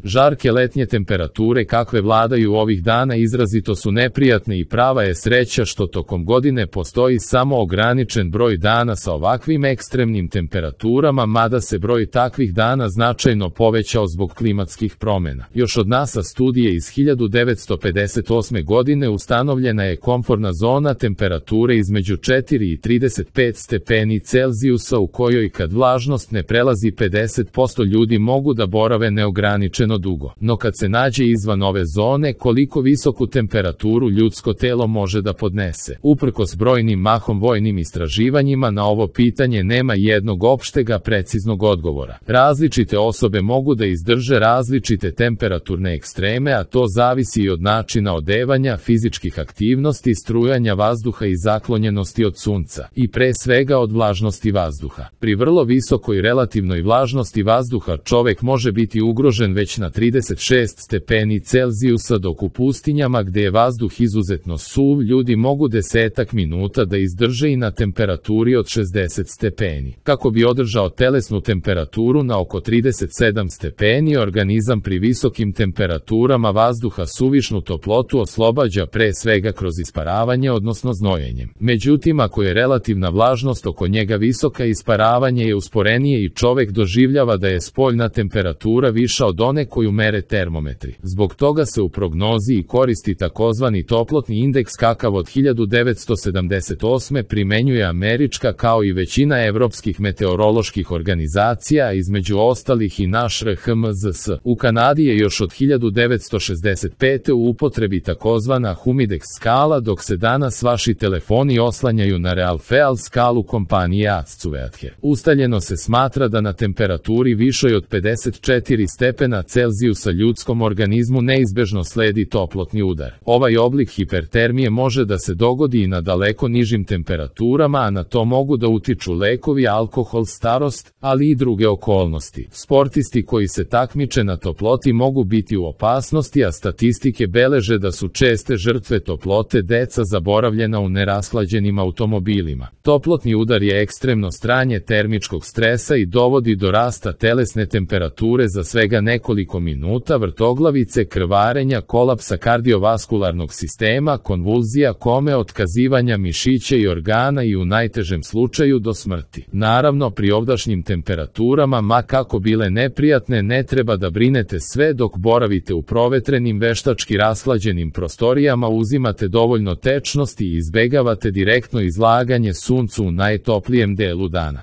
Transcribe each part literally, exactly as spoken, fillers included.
Žarke letnje temperature kakve vladaju ovih dana izrazito su neprijatne i prava je sreća što tokom godine postoji samo ograničen broj dana sa ovakvim ekstremnim temperaturama, mada se broj takvih dana značajno povećao zbog klimatskih promjena. Još od NASA studije iz hiljadu devetsto pedeset osme. godine ustanovljena je komforna zona temperature između četiri i trideset pet stepeni Celzijusa u kojoj kad vlažnost ne prelazi pedeset posto ljudi mogu da borave neograničeno dugo. No kad se nađe izvan ove zone, koliko visoku temperaturu ljudsko telo može da podnese? Uprkos brojnim mahom vojnim istraživanjima na ovo pitanje nema jednog opštega preciznog odgovora. Različite osobe mogu da izdrže različite temperaturne ekstreme, a to zavisi i od načina odevanja, fizičkih aktivnosti, strujanja vazduha i zaklonjenosti od sunca, i pre svega od vlažnosti vazduha. Pri vrlo visokoj relativnoj vlažnosti vazduha čovek može biti ugrožen već na trideset šest stepeni Celzijusa, dok u pustinjama gde je vazduh izuzetno suv ljudi mogu desetak minuta da izdrže i na temperaturi od šezdeset stepeni. Kako bi održao telesnu temperaturu na oko trideset sedam stepeni, organizam pri visokim temperaturama vazduha suvišnu toplotu oslobađa pre svega kroz isparavanje, odnosno znojenjem. Međutim, ako je relativna vlažnost oko njega visoka, isparavanje je usporenije i čovek doživljava da je spoljna temperatura viša od one koju mere termometri. Zbog toga se u prognozi i koristi takozvani toplotni indeks kakav od hiljadu devetsto sedamdeset osme. primenjuje američka kao i većina evropskih meteoroloških organizacija, između ostalih i naš R H M Z S. U Kanadi je još od hiljadu devetsto šezdeset pete. u upotrebi takozvana Humidex skala, dok se danas vaši telefoni oslanjaju na Realfeal skalu kompanije Accuweather. Ustaljeno se smatra da na temperaturi višoj od pedeset četiri stepena Celzijusa ljudskom organizmu neizbežno sledi toplotni udar. Ovaj oblik hipertermije može da se dogodi i na daleko nižim temperaturama, a na to mogu da utiču lekovi, alkohol, starost, ali i druge okolnosti. Sportisti koji se takmiče na toploti mogu biti u opasnosti, a statistike beleže da su česte žrtve toplote deca zaboravljena u nerashlađenim automobilima. Toplotni udar je ekstremno stranje termičkog stresa i dovodi do rasta telesne temperature za svega nekoliko minuta, vrtoglavice, krvarenja, kolapsa kardiovaskularnog sistema, konvulzija, kome, otkazivanja mišića i organa i u najtežem slučaju do smrti. Naravno, pri ovdašnjim temperaturama, ma kako bile neprijatne, ne treba da brinete sve dok boravite u provetrenim, veštački rashlađenim prostorijama, uzimate dovoljno tečnosti i izbegavate direktno izlaganje suncu u najtoplijem delu dana.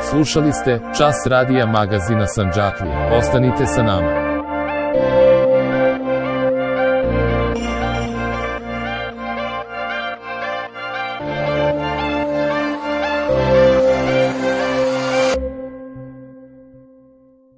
Slušali ste Čas radija magazina Sandžaklija. Ostanite sa nama.